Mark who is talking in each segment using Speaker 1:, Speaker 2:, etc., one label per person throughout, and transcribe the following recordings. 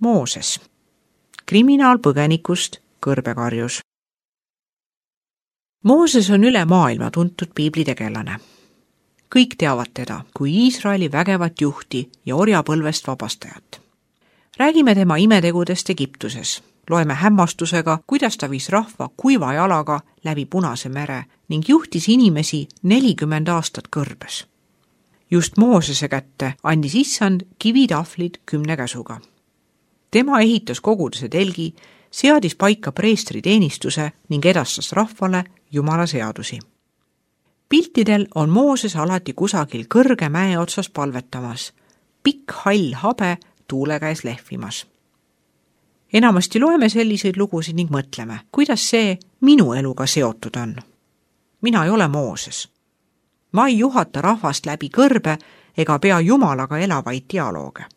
Speaker 1: Mooses, kriminaalpõgenikust kõrbekarjus. Mooses on üle maailma tuntud piiblitegelane. Kõik teavad teda kui Iisraeli vägevat juhti ja orjapõlvest vabastajat. Räägime tema imetegudest Egiptuses. Loeme hämmastusega, kuidas ta viis rahva kuiva jalaga läbi Punase mere ning juhtis inimesi 40 aastat kõrbes. Just Moosese kätte andis Issand kivitahvlid 10 käsuga. Tema ehitas koguduse telgi, seadis paika preestri teenistuse ning edastas rahvale Jumala seadusi. Piltidel on Mooses alati kusagil kõrge mäe otsas palvetamas, pikk hall habe tuule käes lehvimas. Enamasti loeme selliseid lugusid ning mõtleme, kuidas see minu eluga seotud on. Mina ei ole Mooses. Ma ei juhata rahvast läbi kõrbe ega pea Jumalaga elavaid dialooge.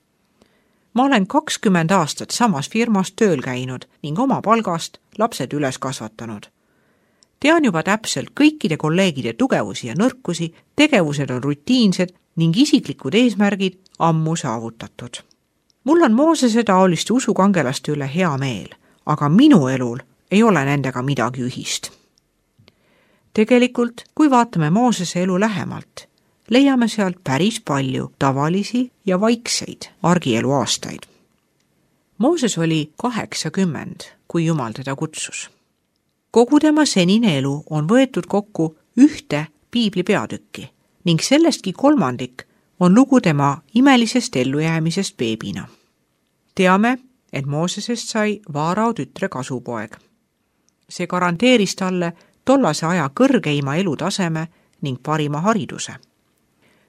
Speaker 1: Ma olen 20 aastat samas firmas tööl käinud ning oma palgast lapsed üles kasvatanud. Tean juba täpselt kõikide kolleegide tugevusi ja nõrkusi, tegevused on rutiinsed ning isiklikud eesmärgid ammu saavutatud. Mul on Moosese taoliste usukangelaste üle hea meel, aga minu elul ei ole nendega midagi ühist. Tegelikult, kui vaatame Moosese elu lähemalt, leiame sealt päris palju tavalisi ja vaikseid argielu aastaid. Mooses oli 80, kui Jumal teda kutsus. Kogu tema senine elu on võetud kokku ühte piibli peatükki ning sellestki 1/3 on lugu tema imelisest ellujäämisest beebina. Teame, et Moosesest sai Vaarao tütre kasupoeg. See garanteeris talle tollase aja kõrgeima elutaseme ning parima hariduse.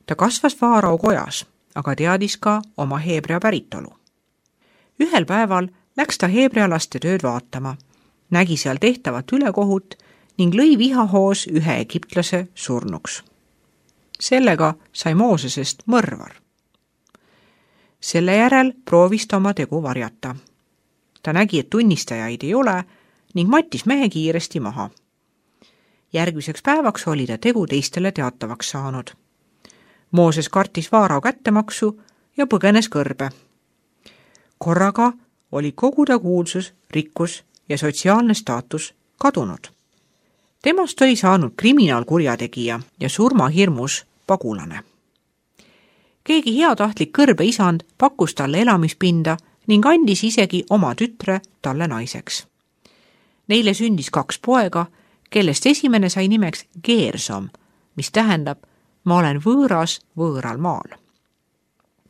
Speaker 1: Ta kasvas Vaarao kojas, aga teadis ka oma heebrea päritolu. Ühel päeval läks ta heebrea laste tööd vaatama, nägi seal tehtavat ülekohut ning lõi vihahoos ühe egiptlase surnuks. Sellega sai Moosesest mõrvar. Selle järel proovis ta oma tegu varjata. Ta nägi, et tunnistajaid ei ole ning mattis mehe kiiresti maha. Järgmiseks päevaks oli ta tegu teistele teatavaks saanud. Mooses kartis Vaarao kättemaksu ja põgenes kõrbe. Korraga oli kogu ta kuulsus, rikkus ja sotsiaalne staatus kadunud. Temast oli saanud kriminaalkurjategija ja surmahirmus pagulane. Keegi heatahtlik kõrbe isand pakkus talle elamispinda ning andis isegi oma tütre talle naiseks. Neile sündis 2 poega, kellest esimene sai nimeks Geersom, mis tähendab, ma olen võõras võõral maal.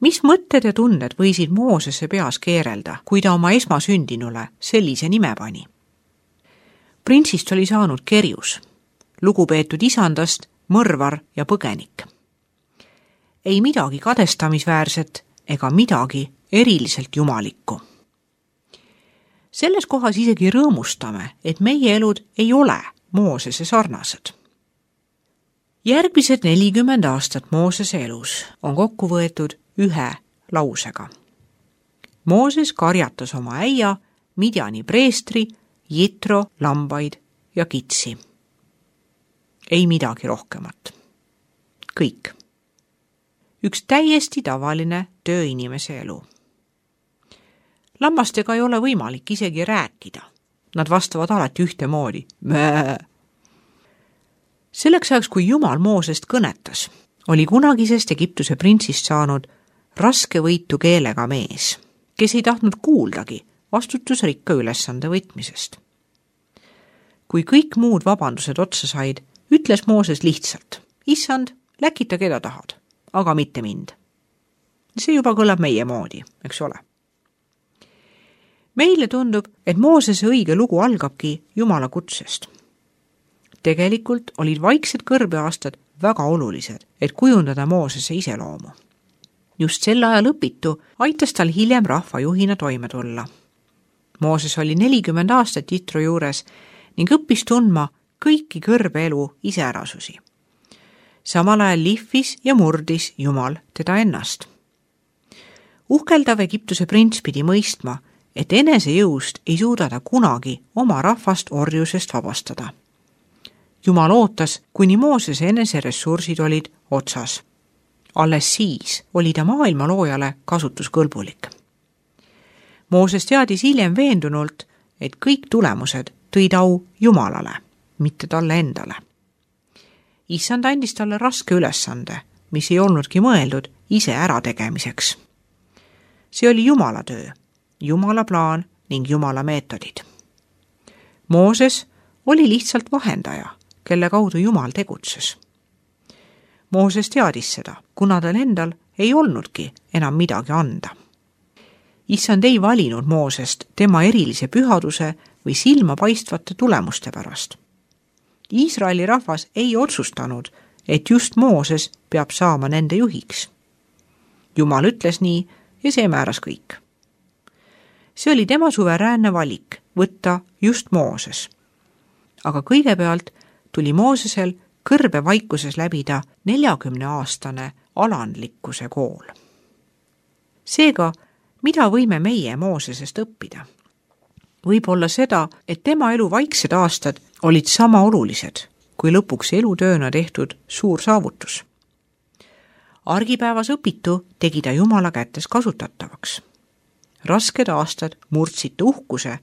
Speaker 1: Mis mõtted ja tunded võisid Moosese peas keerelda, kui ta oma esmasündinule sellise nime pani? Printsist oli saanud kerjus, lugupeetud isandast mõrvar ja põgenik. Ei midagi kadestamisväärset ega midagi eriliselt jumalikku. Selles kohas isegi rõõmustame, et meie elud ei ole Moosese sarnased. Järgmised 40 aastat Moosese elus on kokku võetud ühe lausega. Mooses karjatas oma äia, Midjani preestri, Jitro, lambaid ja kitsi. Ei midagi rohkemat. Kõik. Üks täiesti tavaline tööinimese elu. Lammastega ei ole võimalik isegi rääkida. Nad vastavad alati ühtemoodi. Mää. Selleks ajaks, kui Jumal Moosest kõnetas, oli kunagisest Egiptuse printsist saanud raske võitu keelega mees, kes ei tahtnud kuuldagi vastutusrikka ülesande võtmisest. Kui kõik muud vabandused otsa said, ütles Mooses lihtsalt, issand, läkita keda tahad, aga mitte mind. See juba kõlab meie moodi, eks ole. Meile tundub, et Moosese õige lugu algabki Jumala kutsest. Tegelikult olid vaiksed kõrbeaastad väga olulised, et kujundada Moosese iseloomu. Just sel ajal õpitu aitas tal hiljem rahvajuhina toime tulla. Mooses oli 40 aastat Jitro juures ning õppis tundma kõiki kõrbeelu iseärasusi. Samal ajal lihvis ja murdis Jumal teda ennast. Uhkeldav Egiptuse prints pidi mõistma, et enese jõust ei suuda ta kunagi oma rahvast orjusest vabastada. Jumal ootas, kuni Moosese enese ressursid olid otsas. Alles siis oli ta maailma loojale kasutuskõlbulik. Mooses teadis hiljem veendunult, et kõik tulemused tõid au Jumalale, mitte talle endale. Issand andis talle raske ülesande, mis ei olnudki mõeldud ise ärategemiseks. See oli Jumala töö, Jumala plaan ning Jumala meetodid. Mooses oli lihtsalt vahendaja, kelle kaudu Jumal tegutses. Mooses teadis seda, kuna tal endal ei olnudki enam midagi anda. Issand ei valinud Moosest tema erilise pühaduse või silmapaistvate tulemuste pärast. Iisraeli rahvas ei otsustanud, et just Mooses peab saama nende juhiks. Jumal ütles nii ja see määras kõik. See oli tema suveräänne valik võtta just Mooses. Aga kõigepealt tuli Moosesel kõrbevaikuses läbida 40-aastane alandlikkuse kool. Seega, mida võime meie Moosesest õppida? Võib olla seda, et tema elu vaiksed aastad olid sama olulised, kui lõpuks elutööna tehtud suur saavutus. Argipäevas õpitu tegi ta Jumala kätes kasutatavaks. Rasked aastad murdsid ta uhkuse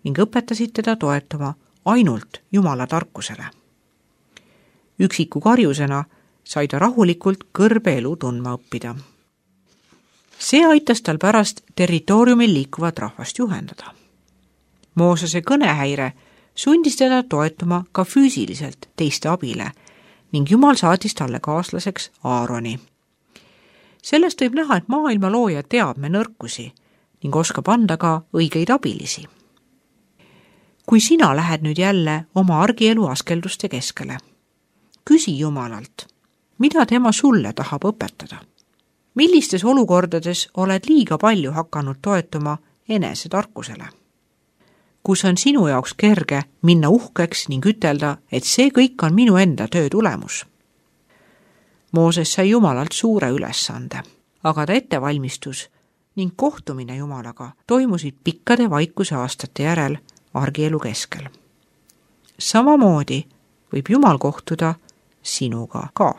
Speaker 1: ning õpetasid teda toetama ainult Jumala tarkusele. Üksiku karjusena sai ta rahulikult kõrbe elu tundma õppida. See aitas tal pärast territooriumil liikuvat rahvast juhendada. Moosese kõnehäire sundis teda toetuma ka füüsiliselt teiste abile ning Jumal saatis talle kaaslaseks Aaroni. Sellest võib näha, et maailma looja teab me nõrkusi ning oskab anda ka õigeid abilisi. Kui sina lähed nüüd jälle oma argielu askelduste keskele, küsi Jumalalt, mida tema sulle tahab õpetada. Millistes olukordades oled liiga palju hakanud toetuma enese tarkusele? Kus on sinu jaoks kerge minna uhkeks ning ütelda, et see kõik on minu enda töö tulemus? Mooses sai Jumalalt suure ülesande, aga ta ettevalmistus ning kohtumine Jumalaga toimusid pikkade vaikuse aastate järel argielu keskel. Samamoodi võib Jumal kohtuda sinuga ka.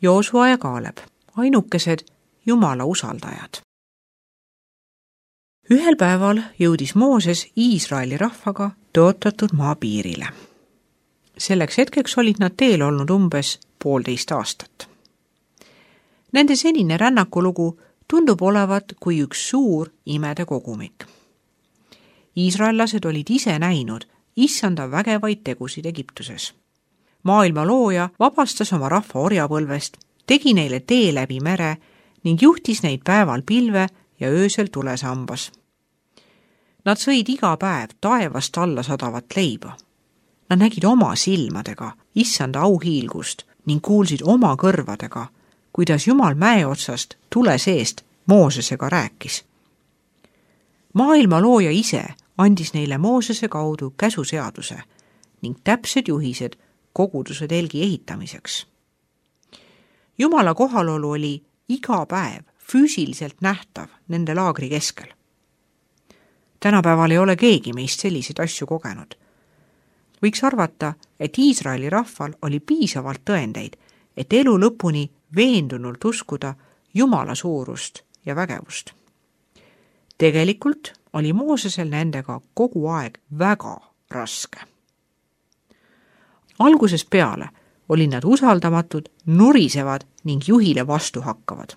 Speaker 1: Joosua ja Kaaleb, ainukesed Jumala usaldajad. Ühel päeval jõudis Mooses Iisraeli rahvaga tõotatud maa piirile. Selleks hetkeks olid nad teel olnud umbes 1,5 aastat. Nende senine rännakulugu tundub olevat kui üks suur imede kogumik. Iisraellased olid ise näinud issanda vägevaid tegusid Egiptuses. Maailma looja vabastas oma rahva orjapõlvest, tegi neile tee läbi mere ning juhtis neid päeval pilve ja öösel tulesambas. Nad sõid iga päev taevast alla sadavat leiba. Nad nägid oma silmadega issanda auhiilgust ning kuulsid oma kõrvadega, kuidas Jumal mäe otsast tule seest Moosesega rääkis. Maailma looja ise andis neile Moosese kaudu käsuseaduse ning täpsed juhised koguduse telgi ehitamiseks. Jumala kohalolu oli iga päev füüsiliselt nähtav nende laagri keskel. Tänapäeval ei ole keegi meist selliseid asju kogenud. Võiks arvata, et Iisraeli rahval oli piisavalt tõendeid, et elu lõpuni veendunult uskuda Jumala suurust ja vägevust. Tegelikult oli Moosesel nendega kogu aeg väga raske. Algusest peale olid nad usaldamatud, nurisevad ning juhile vastu hakkavad.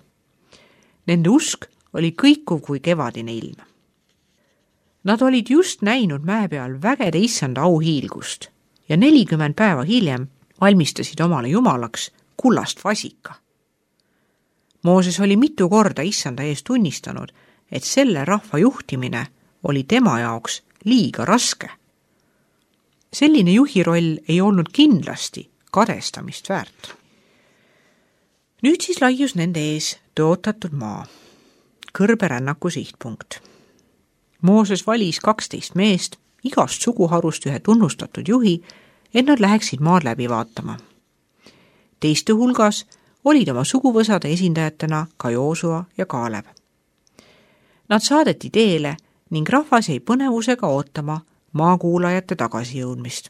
Speaker 1: Nende usk oli kõikuv kui kevadine ilm. Nad olid just näinud mäe peal vägede issanda auhiilgust ja 40 päeva hiljem valmistasid omale jumalaks kullast vasika. Mooses oli mitu korda issanda ees tunnistanud, et selle rahva juhtimine oli tema jaoks liiga raske. Selline juhi roll ei olnud kindlasti kadestamist väärt. Nüüd siis laius nende ees tõotatud maa, kõrberännaku sihtpunkt. Mooses valis 12 meest, igast suguharust ühe tunnustatud juhi, et nad läheksid maad läbi vaatama. Teiste hulgas olid oma suguvõsade esindajatena ka Joosua ja Kaaleb. Nad saadeti teele ning rahvas jäi põnevusega ootama maakuulajate tagasijõudmist.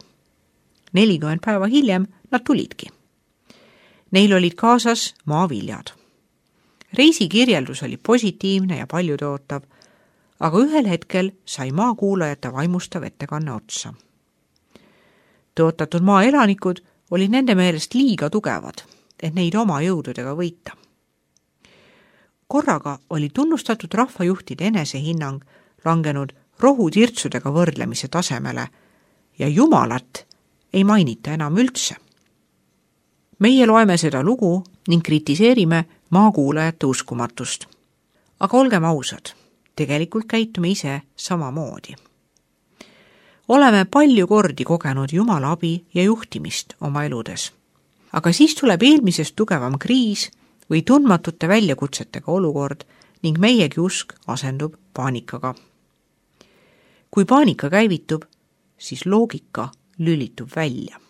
Speaker 1: 40 päeva hiljem nad tulidki. Neil olid kaasas maaviljad. Reisikirjeldus oli positiivne ja paljutootav, aga ühel hetkel sai maakuulajate vaimustav ettekanne otsa. Tõotatud maa elanikud olid nende meelest liiga tugevad, et neid oma jõududega võita. Korraga oli tunnustatud rahvajuhtide enesehinnang langenud rohutirtsudega võrdlemise tasemele ja Jumalat ei mainita enam üldse. Meie loeme seda lugu ning kritiseerime maakuulajate uskumatust. Aga olgem ausad, tegelikult käitume ise samamoodi. Oleme palju kordi kogenud Jumala abi ja juhtimist oma eludes. Aga siis tuleb eelmisest tugevam kriis või tundmatute väljakutsetega olukord ning meiegi usk asendub paanikaga. Kui paanika käivitub, siis loogika lülitub välja.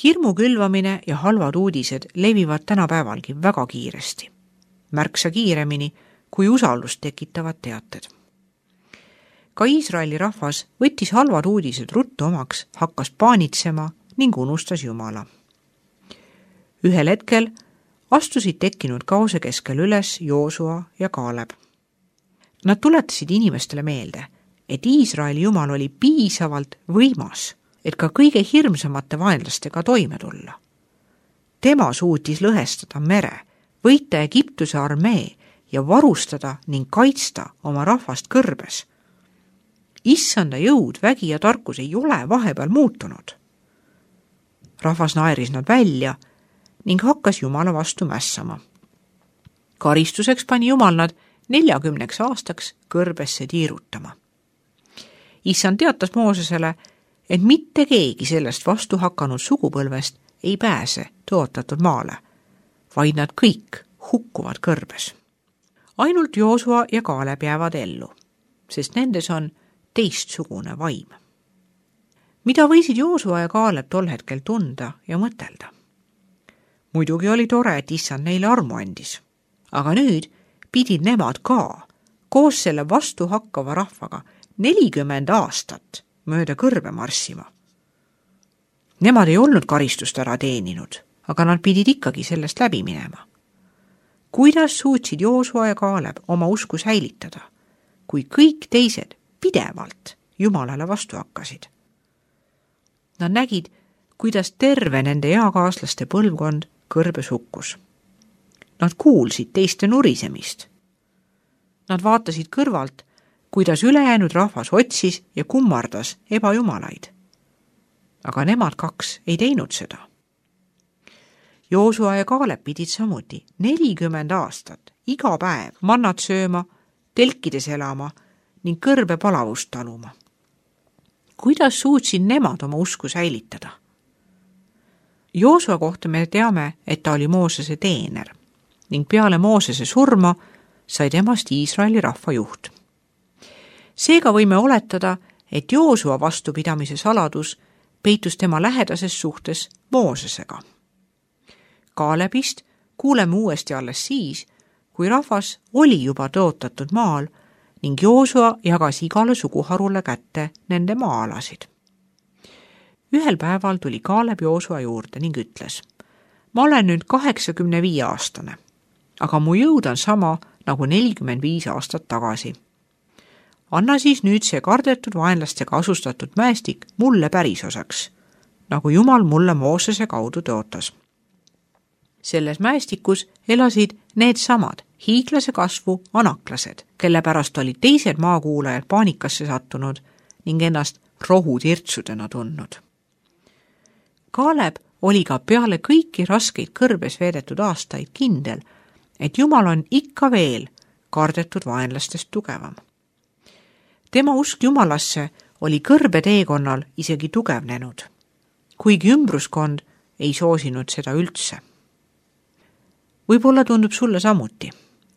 Speaker 1: Hirmu külvamine ja halvad uudised levivad tänapäevalgi väga kiiresti. Märksa kiiremini, kui usaldust tekitavad teated. Ka Iisraeli rahvas võttis halvad uudised ruttu omaks, hakkas paanitsema ning unustas Jumala. Ühel hetkel astusid tekkinud kaose keskel üles Joosua ja Kaaleb. Nad tuletasid inimestele meelde, et Iisraeli Jumal oli piisavalt võimas, et ka kõige hirmsamate vaenlastega toime tulla. Tema suutis lõhestada mere, võita Egiptuse armee ja varustada ning kaitsta oma rahvast kõrbes. Issanda jõud, vägi ja tarkus ei ole vahepeal muutunud. Rahvas naeris nad välja ning hakkas Jumala vastu mässama. Karistuseks pani Jumal nad 40 aastaks kõrbesse tiirutama. Issand teatas Moosesele, et mitte keegi sellest vastu hakanud sugupõlvest ei pääse tõotatud maale, vaid nad kõik hukkuvad kõrbes. Ainult Joosua ja Kaaleb jäävad ellu, sest nendes on teistsugune vaim. Mida võisid Joosua ja Kaaleb tol hetkel tunda ja mõtelda? Muidugi oli tore, et issand neile armu andis, aga nüüd pidid nemad ka koos selle vastu hakkava rahvaga 40 aastat mööda kõrbe marssima. Nemad ei olnud karistust ära teeninud, aga nad pidid ikkagi sellest läbi minema. Kuidas suutsid Joosua ja Kaaleb oma usku säilitada, kui kõik teised pidevalt Jumalale vastu hakkasid? Nad nägid, kuidas terve nende eakaaslaste põlvkond kõrbes hukkus. Nad kuulsid teiste nurisemist. Nad vaatasid kõrvalt, kuidas ülejäänud rahvas otsis ja kummardas ebajumalaid. Aga nemad kaks ei teinud seda. Joosua ja Kaaleb pidid samuti 40 aastat iga päev mannat sööma, telkides elama ning kõrbe palavust taluma. Kuidas suutsid nemad oma usku säilitada? Joosua kohta me teame, et ta oli Moosese teener ning peale Moosese surma sai temast Iisraeli rahva juht. Seega võime oletada, et Joosua vastupidamise saladus peitus tema lähedases suhtes Moosesega. Kaalebist kuuleme uuesti alles siis, kui rahvas oli juba tõotatud maal ning Joosua jagas igale suguharule kätte nende maa-alasid. Ühel päeval tuli Kaaleb Joosua juurde ning ütles: ma olen nüüd 85-aastane, aga mu jõud on sama nagu 45 aastat tagasi. Anna siis nüüd see kardetud vaenlastega asustatud mäestik mulle pärisosaks, nagu Jumal mulle Moosese kaudu tõotas. Selles mäestikus elasid needsamad hiiglase kasvu anaklased, kelle pärast olid teised maakuulajad paanikasse sattunud ning ennast rohutirtsudena tundnud. Kaaleb oli ka peale kõiki raskeid kõrbes veedetud aastaid kindel, et Jumal on ikka veel kardetud vaenlastest tugevam. Tema usk Jumalasse oli kõrbe teekonnal isegi tugevnenud, kuigi ümbruskond ei soosinud seda üldse. Võib-olla tundub sulle samuti,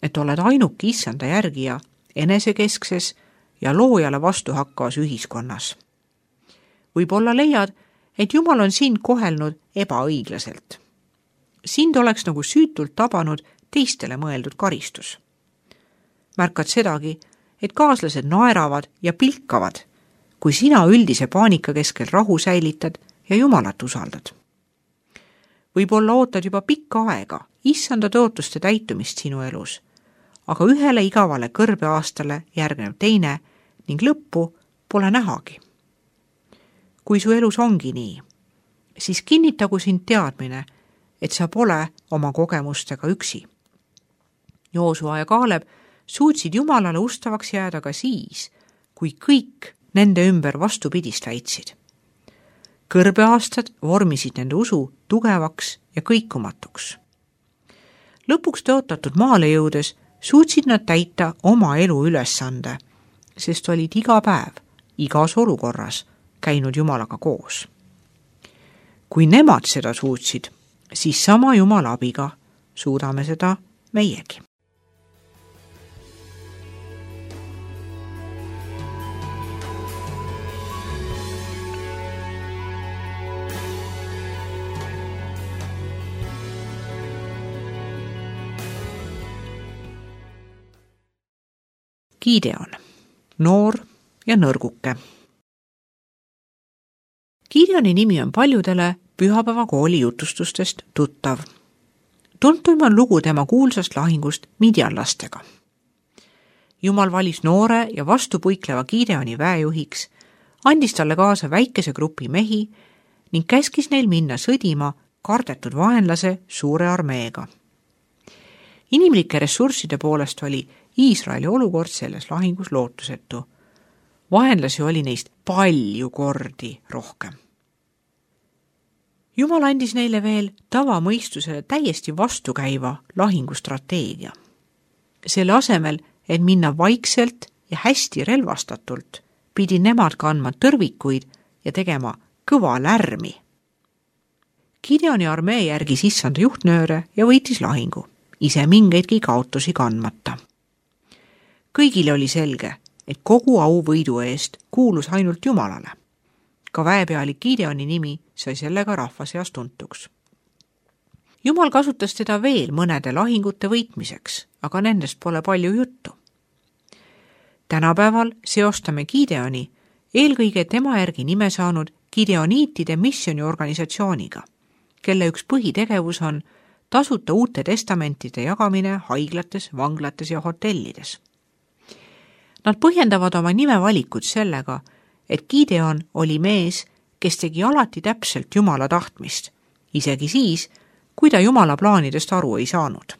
Speaker 1: et oled ainuke issanda järgija enesekeskses ja loojale vastu hakkavas ühiskonnas. Võib-olla leiad, et Jumal on sind kohelnud ebaõiglaselt. Sind oleks nagu süütult tabanud teistele mõeldud karistus. märkad sedagi, et kaaslased naeravad ja pilkavad, kui sina üldise paanika keskel rahu säilitad ja Jumalat usaldad. Võib-olla ootad juba pikka aega issanda tõotuste täitumist sinu elus, aga ühele igavale kõrbeaastale järgneb teine ning lõppu pole nähagi. Kui su elus ongi nii, siis kinnitagu sind teadmine, et sa pole oma kogemustega üksi. Joosua ja Kaaleb suutsid Jumalale ustavaks jääda ka siis, kui kõik nende ümber vastupidist väitsid. Kõrbeaastad vormisid nende usu tugevaks ja kõikumatuks. Lõpuks tõotatud maale jõudes suutsid nad täita oma elu ülesande, sest olid iga päev, igas olukorras käinud Jumalaga koos. Kui nemad seda suutsid, siis sama Jumala abiga suudame seda meiegi. Gideon, noor ja nõrguke. Gideoni nimi on paljudele pühapäevakooli jutustustest tuttav. Tuntuim on lugu tema kuulsast lahingust midjanlastega. Jumal valis noore ja vastupuikleva Gideoni väejuhiks, andis talle kaasa väikese grupi mehi ning käskis neil minna sõdima kardetud vaenlase suure armeega. Inimlike ressursside poolest oli Iisraeli olukord selles lahingus lootusetu. Vaenlasi oli neist palju kordi rohkem. Jumal andis neile veel tavamõistusele täiesti vastukäiva lahingustrateegia. Selle asemel, et minna vaikselt ja hästi relvastatult, pidi nemad kandma tõrvikuid ja tegema kõva lärmi. Gideoni armee järgis issanda juhtnööre ja võitis lahingu, ise mingeidki kaotusi kandmata. Kõigile oli selge, et kogu au võidu eest kuulus ainult Jumalale. Ka väepealik Gideoni nimi sai sellega rahva seas tuntuks. Jumal kasutas teda veel mõnede lahingute võitmiseks, aga nendest pole palju juttu. Tänapäeval seostame Gideoni eelkõige tema järgi nime saanud Gideoniitide missioniorganisatsiooniga, kelle üks põhitegevus on tasuta uute testamentide jagamine haiglates, vanglates ja hotellides. Nad põhjendavad oma nimevalikut sellega, et Gideon oli mees, kes tegi alati täpselt Jumala tahtmist, isegi siis, kui ta Jumala plaanidest aru ei saanud.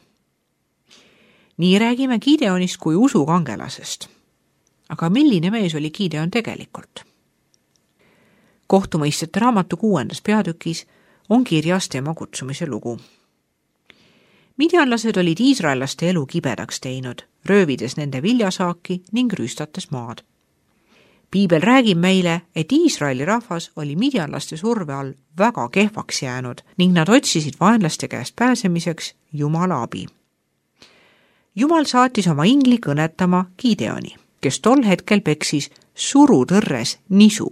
Speaker 1: Nii räägime Gideonist kui usukangelasest. Aga milline mees oli Gideon tegelikult? Kohtumõistjate raamatu 6. peatükis on kirjas tema kutsumise lugu. Midjanlased olid iisraellaste elu kibedaks teinud, röövides nende viljasaaki ning rüüstates maad. Piibel räägib meile, et Iisraeli rahvas oli midjanlaste surve all väga kehvaks jäänud ning nad otsisid vaenlaste käest pääsemiseks Jumala abi. Jumal saatis oma ingli kõnetama Gideoni, kes tol hetkel peksis surutõrres nisu,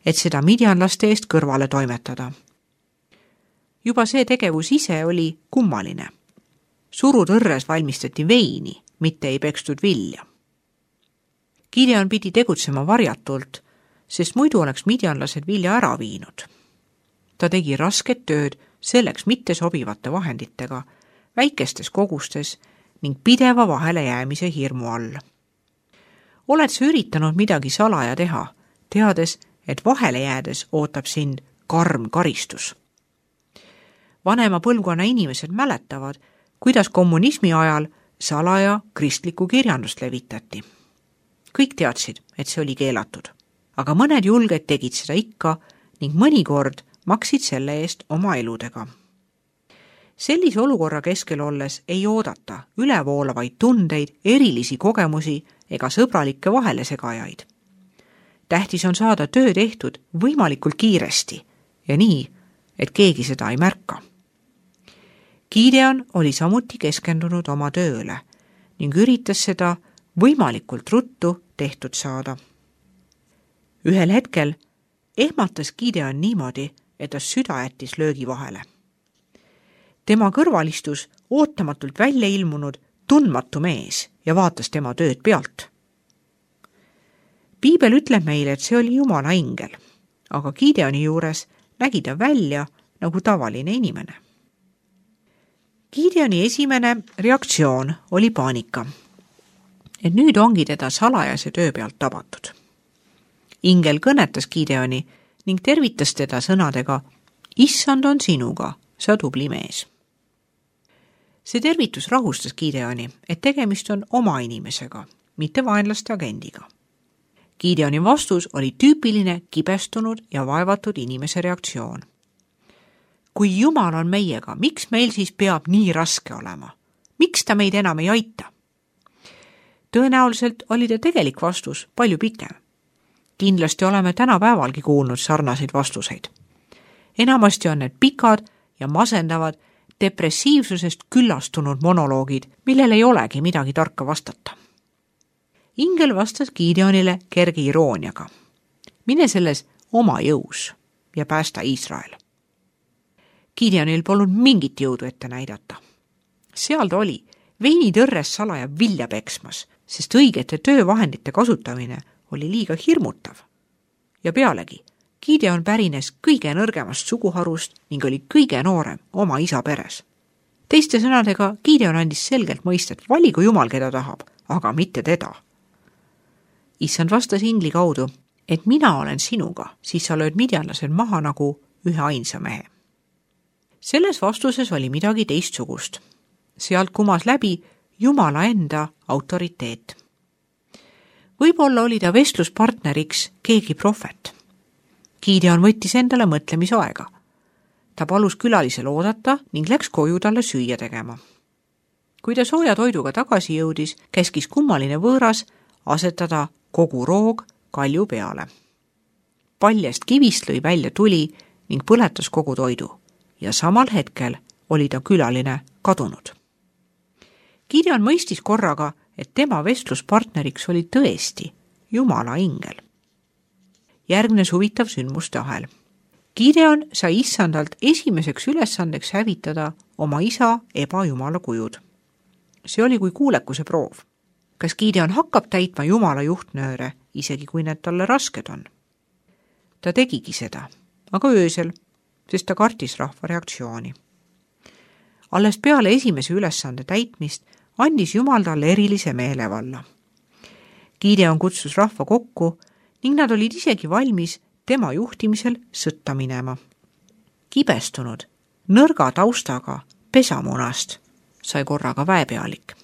Speaker 1: et seda midjanlaste eest kõrvale toimetada. Juba see tegevus ise oli kummaline. Surutõrres valmistati veini, mitte ei pekstud vilja. Gideon pidi tegutsema varjatult, sest muidu oleks midjanlased vilja ära viinud. Ta tegi rasket tööd selleks mitte sobivate vahenditega, väikestes kogustes ning pideva vahele jäämise hirmu all. Oled sa üritanud midagi salaja teha, teades, et vahele jäädes ootab sind karm karistus? Vanema põlvkonna inimesed mäletavad, kuidas kommunismi ajal salaja kristlikku kirjandust levitati. Kõik teadsid, et see oli keelatud, aga mõned julged tegid seda ikka ning mõnikord maksid selle eest oma eludega. Sellise olukorra keskel olles ei oodata ülevoolavaid tundeid, erilisi kogemusi ega sõbralikke vahelesegajaid. Tähtis on saada töö tehtud võimalikult kiiresti ja nii, et keegi seda ei märka. Gideon oli samuti keskendunud oma tööle ning üritas seda võimalikult ruttu tehtud saada. Ühel hetkel ehmatas Gideon niimoodi, et ta süda jättis löögi vahele. Tema kõrval istus ootamatult välja ilmunud tundmatu mees ja vaatas tema tööd pealt. Piibel ütleb meile, et see oli Jumala ingel, aga Gideoni juures nägi ta välja nagu tavaline inimene. Gideoni esimene reaktsioon oli paanika, et nüüd ongi teda salajase töö pealt tabatud. Ingel kõnetas Gideoni ning tervitas teda sõnadega: Issand on sinuga, sa tubli mees. See tervitus rahustas Gideoni, et tegemist on oma inimesega, mitte vaenlaste agendiga. Gideoni vastus oli tüüpiline kibestunud ja vaevatud inimese reaktsioon. Kui Jumal on meiega, miks meil siis peab nii raske olema? Miks ta meid enam ei aita? Tõenäoliselt oli ta tegelik vastus palju pikem. Kindlasti oleme tänapäevalgi kuulnud sarnaseid vastuseid. Enamasti on need pikad ja masendavad, depressiivsusest küllastunud monoloogid, millel ei olegi midagi tarka vastata. Ingel vastas Gideonile kerge irooniaga: mine selles oma jõus ja päästa Iisrael. Gideonil polnud mingit jõudu ette näidata. Seal ta oli, veinitõrres salaja vilja peksmas, sest õigete töövahendite kasutamine oli liiga hirmutav. Ja pealegi, Gideon pärines kõige nõrgemast suguharust ning oli kõige noorem oma isa peres. Teiste sõnadega, Gideon andis selgelt mõista, et valigu Jumal, keda tahab, aga mitte teda. Issand vastas ingli kaudu, et mina olen sinuga, siis sa lööd midjanlased maha nagu ühe ainsa mehe. Selles vastuses oli midagi teistsugust. Sealt kumas läbi Jumala enda autoriteet. Võib-olla oli ta vestluspartneriks keegi prohvet. Gideon võttis endale mõtlemisaega. Ta palus külalisel oodata ning läks koju talle süüa tegema. Kui ta sooja toiduga tagasi jõudis, käskis kummaline võõras asetada kogu roog kalju peale. Paljast kivist lõi välja tuli ning põletas kogu toidu ja samal hetkel oli ta külaline kadunud. Gideon mõistis korraga, et tema vestluspartneriks oli tõesti Jumala ingel. Järgnes huvitav sündmuste ahel. Gideon sai Issandalt esimeseks ülesandeks hävitada oma isa ebajumala kujud. See oli kui kuulekuse proov. Kas Gideon hakkab täitma Jumala juhtnööre, isegi kui need talle rasked on? Ta tegigi seda, aga öösel, sest ta kartis rahva reaktsiooni. Alles peale esimese ülesande täitmist andis Jumal talle erilise meelevalla. Gideon kutsus rahva kokku ning nad olid isegi valmis tema juhtimisel sõtta minema. Kibestunud, nõrga taustaga pesamunast sai korraga väepealik.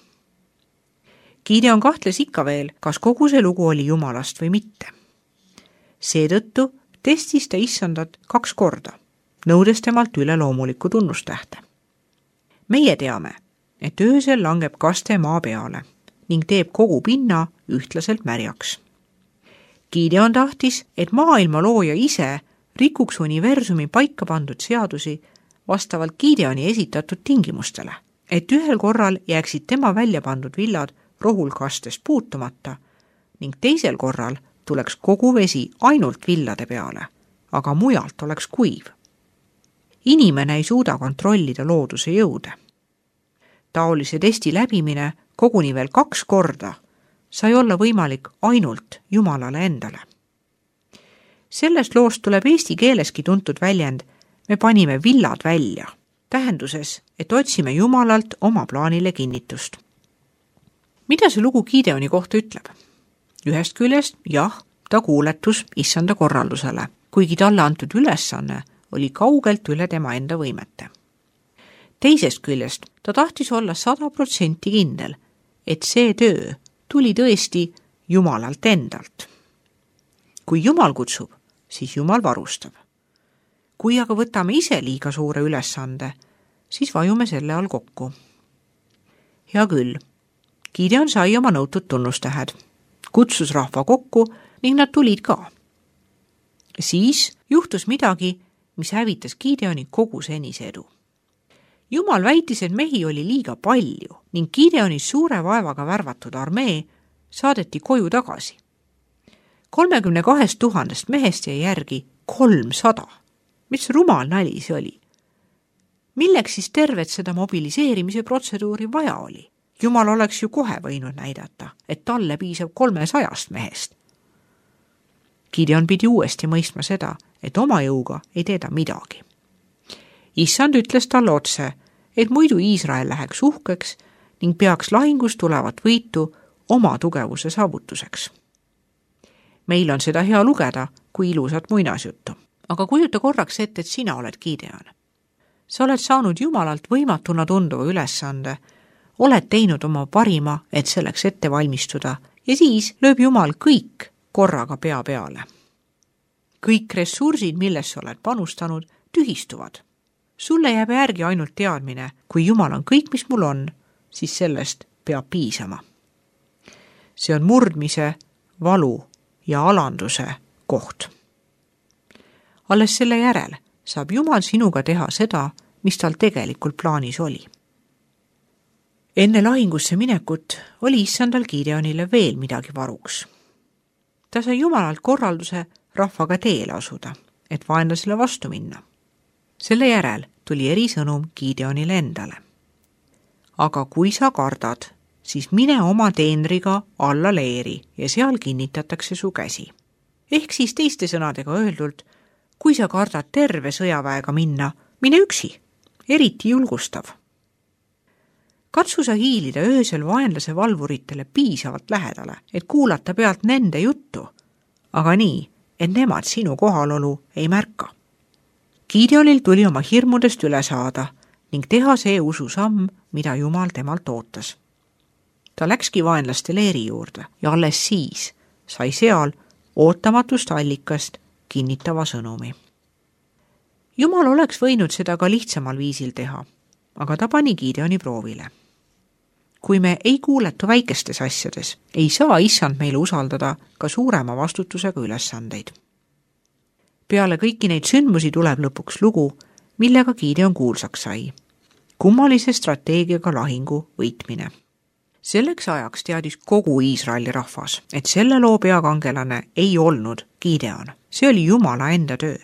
Speaker 1: Gideon kahtles ikka veel, kas kogu see lugu oli Jumalast või mitte. Seetõttu testis ta Issandat 2 korda, nõudes temalt üleloomulikku tunnustähte. Meie teame, et öösel langeb kaste maa peale ning teeb kogu pinna ühtlaselt märjaks. Gideon tahtis, et maailma looja ise rikuks universumi paika pandud seadusi vastavalt Gideoni esitatud tingimustele, et ühel korral jääksid tema välja pandud villad rohulkastest puutumata ning teisel korral tuleks kogu vesi ainult villade peale, aga mujalt oleks kuiv. Inimene ei suuda kontrollida looduse jõude. Taolise testi läbimine koguni veel 2 korda sai olla võimalik ainult Jumalale endale. Sellest loost tuleb eesti keeleski tuntud väljend "me panime villad välja", tähenduses, et otsime Jumalalt oma plaanile kinnitust. Mida see lugu Gideoni kohta ütleb? Ühest küljest, jah, ta kuuletus Issanda korraldusele, kuigi talle antud ülesanne oli kaugelt üle tema enda võimete. Teisest küljest ta tahtis olla 100% kindel, et see töö tuli tõesti Jumalalt endalt. Kui Jumal kutsub, siis Jumal varustab. Kui aga võtame ise liiga suure ülesande, siis vajume selle all kokku. Hea küll, Gideon sai oma nõutud tunnustähed, kutsus rahva kokku ning nad tulid ka. Siis juhtus midagi, mis hävitas Gideoni kogu senise edu. Jumal väitis, et mehi oli liiga palju ning Gideoni suure vaevaga värvatud armee saadeti koju tagasi. 32 000 mehest jäi järgi 300. Mis rumal nali see oli? Milleks siis tervet seda mobiliseerimise protseduuri vaja oli? Jumal oleks ju kohe võinud näidata, et talle piisab 300 mehest. Gideon pidi uuesti mõistma seda, et oma jõuga ei tee ta midagi. Issand ütles talle otse, et muidu Iisrael läheks uhkeks ning peaks lahingus tulevat võitu oma tugevuse saavutuseks. Meil on seda hea lugeda kui ilusat muinasjuttu. Aga kujuta korraks ette, et sina oled Gideon. Sa oled saanud Jumalalt võimatuna tunduva ülesande, oled teinud oma parima, et selleks ette valmistuda ja siis lööb Jumal kõik korraga pea peale. Kõik ressursid, millesse oled panustanud, tühistuvad. Sulle jääb järgi ainult teadmine, kui Jumal on kõik, mis mul on, siis sellest peab piisama. See on murdmise, valu ja alanduse koht. Alles selle järel saab Jumal sinuga teha seda, mis tal tegelikult plaanis oli. Enne lahingusse minekut oli Issandal Gideonile veel midagi varuks. Ta sai Jumalalt korralduse rahvaga teele asuda, et vaenlasele vastu minna. Selle järel tuli erisõnum Gideonile endale. Aga kui sa kardad, siis mine oma teenriga alla leeri ja seal kinnitatakse su käsi. Ehk siis teiste sõnadega öeldult, kui sa kardad terve sõjaväega minna, mine üksi, eriti julgustav. Katsu sa hiilida öösel vaenlase valvuritele piisavalt lähedale, et kuulata pealt nende juttu, aga nii, et nemad sinu kohalolu ei märka. Gideonil tuli oma hirmudest üle saada ning teha see ususamm, mida Jumal temalt ootas. Ta läkski vaenlaste leeri juurde ja alles siis sai seal ootamatust allikast kinnitava sõnumi. Jumal oleks võinud seda ka lihtsamal viisil teha, aga ta pani Gideoni proovile. Kui me ei kuuletu väikestes asjades, ei saa Issand meile usaldada ka suurema vastutusega ülesandeid. Peale kõiki neid sündmusi tuleb lõpuks lugu, millega Gideon kuulsaks sai. Kummalise strateegiaga lahingu võitmine. Selleks ajaks teadis kogu Iisraeli rahvas, et selle loo peakangelane ei olnud Gideon. See oli Jumala enda töö.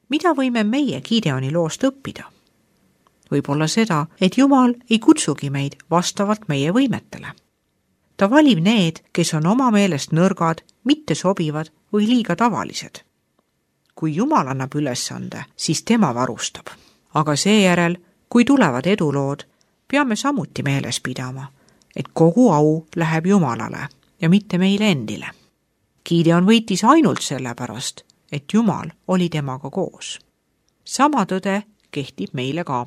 Speaker 1: Mida võime meie Gideoni loost õppida? Võib-olla seda, et Jumal ei kutsugi meid vastavalt meie võimetele. Ta valib need, kes on oma meelest nõrgad, mitte sobivad või liiga tavalised. Kui Jumal annab ülesande, siis tema varustab. Aga seejärel, kui tulevad edulood, peame samuti meeles pidama, et kogu au läheb Jumalale ja mitte meile endile. Gideon võitis ainult sellepärast, et Jumal oli temaga koos. Sama tõde kehtib meile ka.